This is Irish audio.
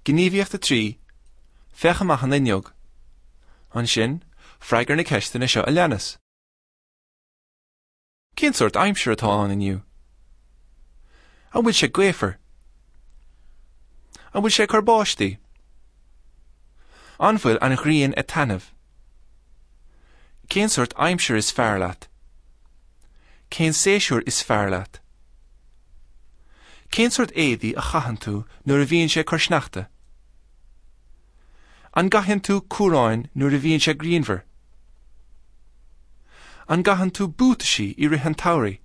Gníomhaíocht 3, Féach amach an fhuinneog. Ansin, freagair na ceisteanna seo a leanas. Cén sórt aimsir atá ann inniu? An bhfuil sé gaofar? An bhfuil sé ag cur báistí? An bhfuil an ghrian ag taitneamh? Cén sórt aimsir is fearr leat? Cén séasúr is fearr leat? Cén sórt éadaí a chaitheann tú nuair a bhíonn sé ag cur sneachta? An gcaitheann tú cuaráin nuair a bhíonn sé grianmhar? An gcaitheann tú buataisí i rith an tsamhraidh?